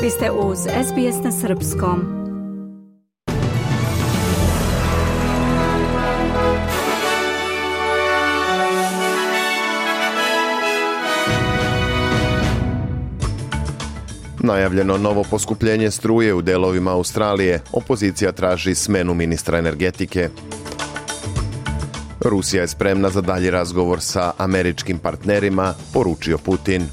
Vi ste uz SBS na srpskom. Najavljeno novo poskupljenje struje u delovima Australije. Opozicija traži smenu ministra energetike. Rusija je spremna za dalji razgovor sa američkim partnerima, poručio Putin.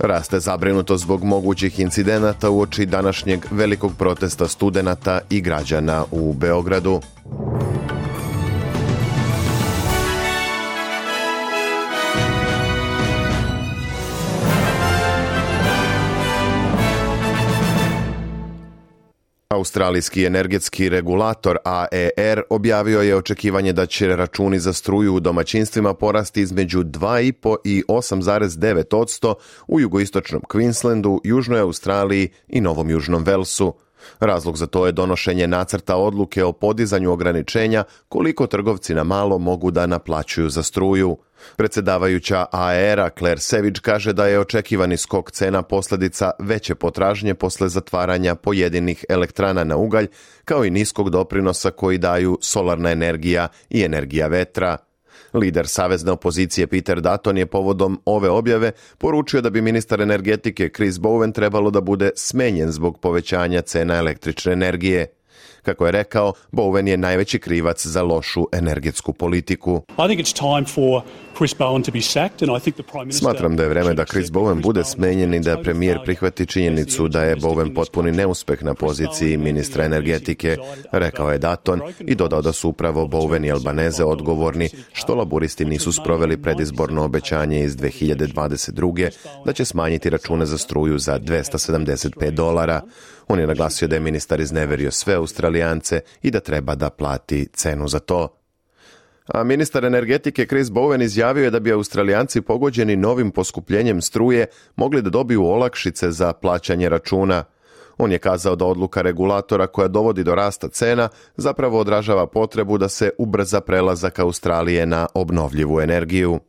Raste zabrinutost zbog mogućih incidenata uoči današnjeg velikog protesta studenata i građana u Beogradu. Australijski energetski regulator AER objavio je očekivanje da će računi za struju u domaćinstvima porasti između 2,5 i 8,9% u jugoistočnom Queenslandu, Južnoj Australiji i Novom Južnom Velsu. Razlog za to je donošenje nacrta odluke o podizanju ograničenja koliko trgovci na malo mogu da naplaćuju za struju. Predsjedavajuća AER-a Claire Savage kaže da je očekivani skok cena posljedica veće potražnje posle zatvaranja pojedinih elektrana na ugalj, kao i niskog doprinosa koji daju solarna energija i energija vetra. Lider savezne opozicije Peter Dutton je povodom ove objave poručio da bi ministar energetike Chris Bowen trebalo da bude smenjen zbog povećanja cena električne energije. Kako je rekao, Bowen je najveći krivac za lošu energetsku politiku. Smatram da je vreme da Chris Bowen bude smenjen i da premijer prihvati činjenicu da je Bowen potpuni neuspeh na poziciji ministra energetike, rekao je Dutton i dodao da su upravo Bowen i Albanese odgovorni što laburisti nisu sproveli predizborno obećanje iz 2022. da će smanjiti račune za struju za $275. On je naglasio da je ministar izneverio sve Australijance i da treba da plati cenu za to. A ministar energetike Chris Bowen izjavio je da bi Australijanci pogođeni novim poskupljenjem struje mogli da dobiju olakšice za plaćanje računa. On je kazao da odluka regulatora koja dovodi do rasta cena zapravo odražava potrebu da se ubrza prelazak Australije na obnovljivu energiju.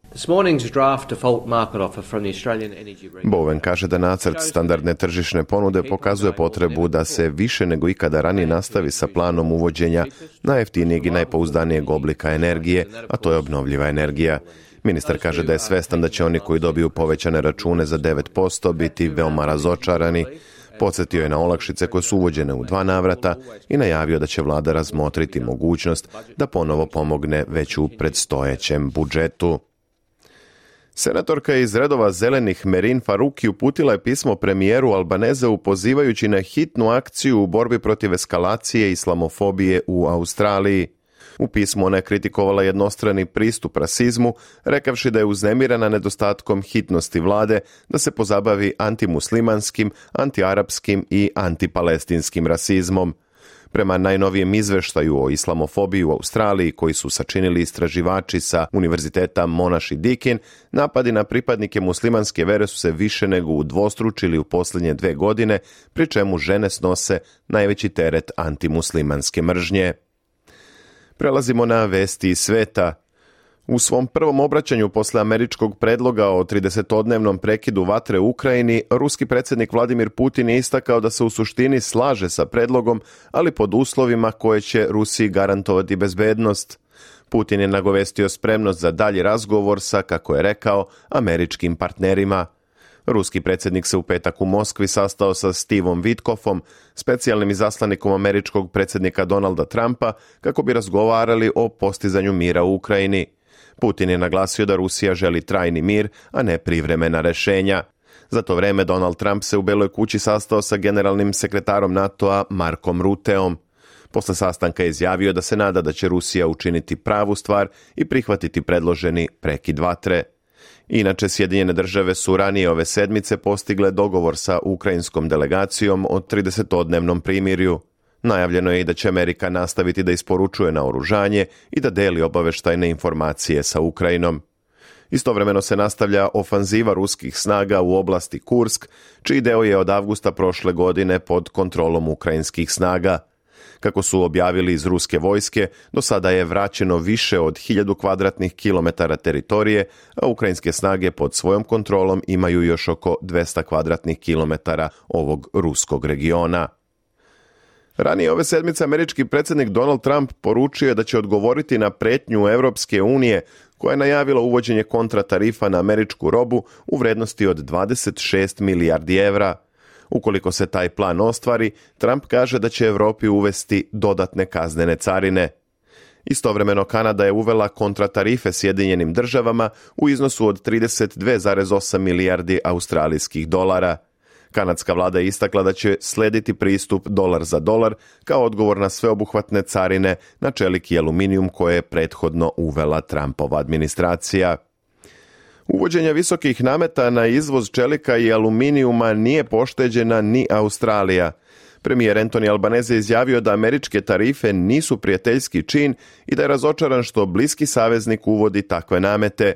Bowen kaže da nacrt standardne tržišne ponude pokazuje potrebu da se više nego ikada ranije nastavi sa planom uvođenja najjeftinijeg i najpouzdanijeg oblika energije, a to je obnovljiva energija. Ministar kaže da je svestan da će oni koji dobiju povećane račune za 9% biti veoma razočarani. Podsjetio je na olakšice koje su uvođene u 2 navrata i najavio da će vlada razmotriti mogućnost da ponovo pomogne već u predstojećem budžetu. Senatorka iz redova zelenih Merin Faruqi uputila je pismo premijeru Albaneseu pozivajući na hitnu akciju u borbi protiv eskalacije islamofobije u Australiji. U pismu ona je kritikovala jednostrani pristup rasizmu, rekavši da je uznemirena nedostatkom hitnosti vlade da se pozabavi antimuslimanskim, antiarapskim i antipalestinskim rasizmom. Prema najnovijem izveštaju o islamofobiji u Australiji koji su sačinili istraživači sa Univerziteta Monash i Deakin, napadi na pripadnike muslimanske vere su se više nego udvostručili u posljednje 2 godine, pri čemu žene snose najveći teret antimuslimanske mržnje. Prelazimo na vesti iz sveta. U svom prvom obraćanju posle američkog predloga o 30-dnevnom prekidu vatre u Ukrajini, ruski predsjednik Vladimir Putin je istakao da se u suštini slaže sa predlogom, ali pod uslovima koje će Rusiji garantovati bezbednost. Putin je nagovestio spremnost za dalji razgovor sa, kako je rekao, američkim partnerima. Ruski predsjednik se u petak u Moskvi sastao sa Stevom Witkoffom, specijalnim izaslanikom američkog predsjednika Donalda Trumpa, kako bi razgovarali o postizanju mira u Ukrajini. Putin je naglasio da Rusija želi trajni mir, a ne privremena rešenja. Za to vreme Donald Trump se u Beloj kući sastao sa generalnim sekretarom NATO-a Markom Ruteom. Posle sastanka je izjavio da se nada da će Rusija učiniti pravu stvar i prihvatiti predloženi prekid vatre. Inače, Sjedinjene države su ranije ove sedmice postigle dogovor sa ukrajinskom delegacijom o 30-dnevnom primirju. Najavljeno je i da će Amerika nastaviti da isporučuje naoružanje i da deli obaveštajne informacije sa Ukrajinom. Istovremeno se nastavlja ofanziva ruskih snaga u oblasti Kursk, čiji deo je od avgusta prošle godine pod kontrolom ukrajinskih snaga. Kako su objavili iz ruske vojske, do sada je vraćeno više od 1000 kvadratnih kilometara teritorije, a ukrajinske snage pod svojom kontrolom imaju još oko 200 kvadratnih kilometara ovog ruskog regiona. Ranije ove sedmice američki predsjednik Donald Trump poručio je da će odgovoriti na pretnju Europske unije koja je najavila uvođenje kontratarifa na američku robu u vrednosti od 26 milijardi evra. Ukoliko se taj plan ostvari, Trump kaže da će Europi uvesti dodatne kaznene carine. Istovremeno Kanada je uvela kontratarife Sjedinjenim državama u iznosu od 32,8 milijardi australijskih dolara. Kanadska vlada je istakla da će slediti pristup dolar za dolar kao odgovor na sveobuhvatne carine na čelik i aluminijum koje je prethodno uvela Trumpova administracija. Uvođenje visokih nameta na izvoz čelika i aluminijuma nije pošteđena ni Australija. Premijer Anthony Albanese izjavio da američke tarife nisu prijateljski čin i da je razočaran što bliski saveznik uvodi takve namete.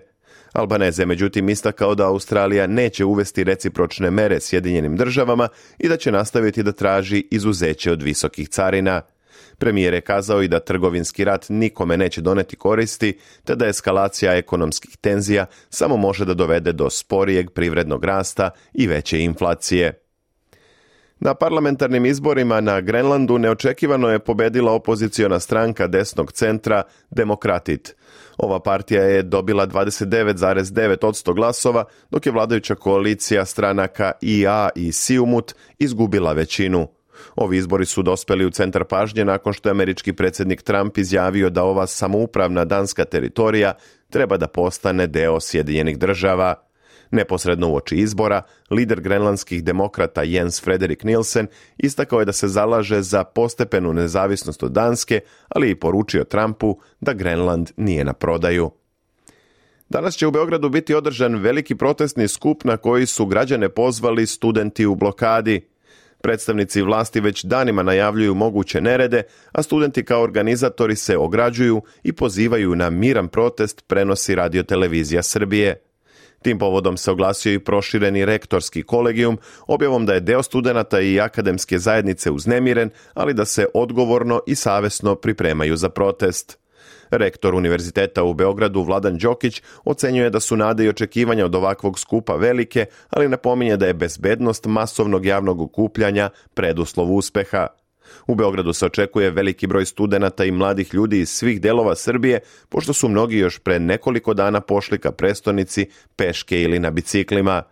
Albanese je međutim istakao da Australija neće uvesti recipročne mere Sjedinjenim državama i da će nastaviti da traži izuzeće od visokih carina. Premijer je kazao i da trgovinski rat nikome neće doneti koristi, te da eskalacija ekonomskih tenzija samo može da dovede do sporijeg privrednog rasta i veće inflacije. Na parlamentarnim izborima na Grenlandu neočekivano je pobedila opoziciona stranka desnog centra Demokratit. Ova partija je dobila 29,9% glasova, dok je vladajuća koalicija stranaka IA i Siumut izgubila većinu. Ovi izbori su dospeli u centar pažnje nakon što je američki predsjednik Trump izjavio da ova samoupravna danska teritorija treba da postane deo Sjedinjenih država. Neposredno uoči izbora, lider grenlandskih demokrata Jens Frederik Nielsen istakao je da se zalaže za postepenu nezavisnost od Danske, ali i poručio Trumpu da Grenland nije na prodaju. Danas će u Beogradu biti održan veliki protestni skup na koji su građane pozvali studenti u blokadi. Predstavnici vlasti već danima najavljuju moguće nerede, a studenti kao organizatori se ograđuju i pozivaju na miran protest, prenosi Radio-televizija Srbije. Tim povodom se oglasio i prošireni rektorski kolegijum, objavom da je deo studenata i akademske zajednice uznemiren, ali da se odgovorno i savesno pripremaju za protest. Rektor Univerziteta u Beogradu Vladan Đokić ocenjuje da su nade i očekivanja od ovakvog skupa velike, ali napominje da je bezbednost masovnog javnog okupljanja preduslov uspeha. U Beogradu se očekuje veliki broj studenata i mladih ljudi iz svih delova Srbije, pošto su mnogi još pre nekoliko dana pošli ka prestonici peške ili na biciklima.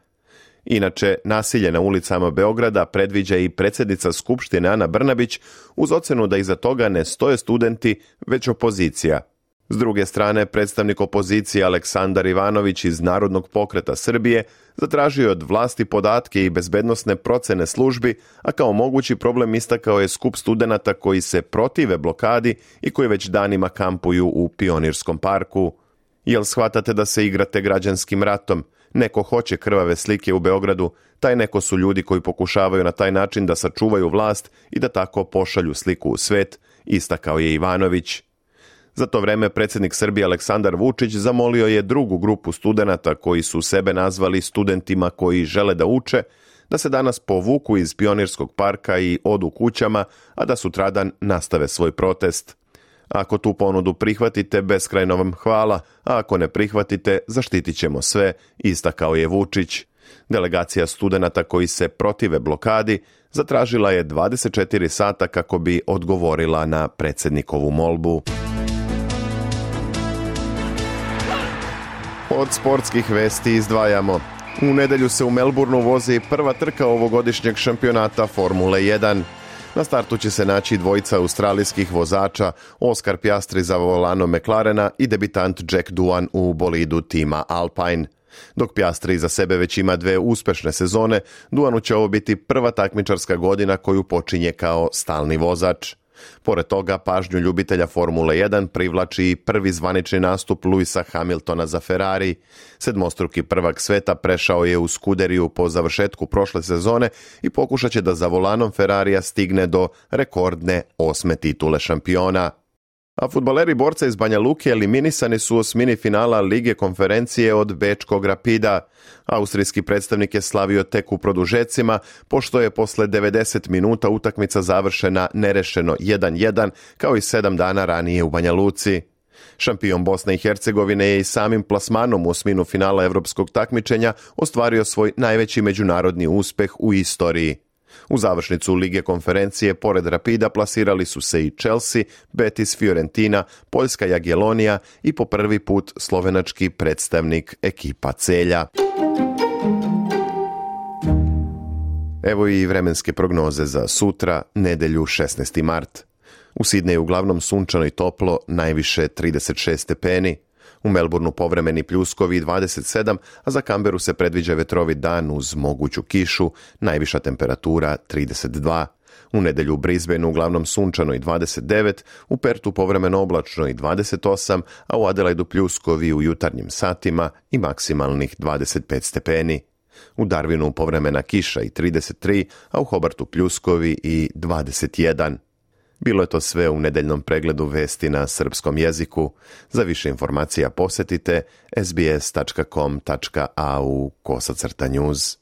Inače, nasilje na ulicama Beograda predviđa i predsjednica Skupštine Ana Brnabić uz ocenu da iza toga ne stoje studenti, već opozicija. S druge strane, predstavnik opozicije Aleksandar Ivanović iz Narodnog pokreta Srbije zatražio od vlasti podatke i bezbednosne procene službi, a kao mogući problem istakao je skup studenata koji se protive blokadi i koji već danima kampuju u Pionirskom parku. Jel shvatate da se igrate građanskim ratom? Neko hoće krvave slike u Beogradu, taj neko su ljudi koji pokušavaju na taj način da sačuvaju vlast i da tako pošalju sliku u svet, istakao je Ivanović. Za to vreme predsjednik Srbije Aleksandar Vučić zamolio je drugu grupu studenata koji su sebe nazvali studentima koji žele da uče, da se danas povuku iz Pionirskog parka i odu kućama, a da sutradan nastave svoj protest. Ako tu ponudu prihvatite, beskrajno vam hvala, a ako ne prihvatite, zaštitit ćemo sve, istakao je Vučić. Delegacija studenata koji se protive blokadi zatražila je 24 sata kako bi odgovorila na predsjednikovu molbu. Od sportskih vesti izdvajamo. U nedjelju se u Melbourneu vozi prva trka ovogodišnjeg šampionata Formule 1. Na startu će se naći dvojica australijskih vozača, Oscar Piastri za volanom McLarena i debitant Jack Doohan u bolidu tima Alpine. Dok Piastri za sebe već ima 2 uspešne sezone, Doohanu će ovo biti prva takmičarska godina koju počinje kao stalni vozač. Pored toga, pažnju ljubitelja Formule 1 privlači i prvi zvanični nastup Lewisa Hamiltona za Ferrari. Sedmostruki prvak sveta prešao je u Scuderiju po završetku prošle sezone i pokušat će da za volanom Ferrarija stigne do rekordne 8. titule šampiona. A fudbaleri borca iz Banja Luke eliminisani su u osmini finala Lige konferencije od bečkog Rapida. Austrijski predstavnik je slavio tek u produžecima, pošto je posle 90 minuta utakmica završena nerešeno 1-1, kao i 7 dana ranije u Banja Luci. Šampion Bosne i Hercegovine je i samim plasmanom u osminu finala evropskog takmičenja ostvario svoj najveći međunarodni uspeh u istoriji. U završnicu Lige konferencije pored Rapida plasirali su se i Chelsea, Betis, Fiorentina, Poljska Jagiellonija i po prvi put slovenački predstavnik ekipa Celja. Evo i vremenske prognoze za sutra, nedelju 16. mart. U Sidneju uglavnom sunčano i toplo, najviše 36 stepeni. U Melbourneu povremeni pljuskovi 27, a za Canberu se predviđa vetrovit dan uz moguću kišu, najviša temperatura 32. U nedelju u Brisbaneu uglavnom sunčano i 29, u Pertu povremeno oblačno i 28, a u Adelaidu pljuskovi u jutarnjim satima i maksimalnih 25 stepeni. U Darwinu povremena kiša i 33, a u Hobartu pljuskovi i 21. Bilo je to sve u nedeljnom pregledu vesti na srpskom jeziku. Za više informacija posjetite sbs.com.au/news.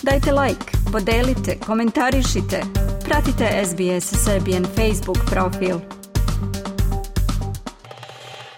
Dajte like, podelite, komentarišite. Pratite SBS Serbian Facebook profil.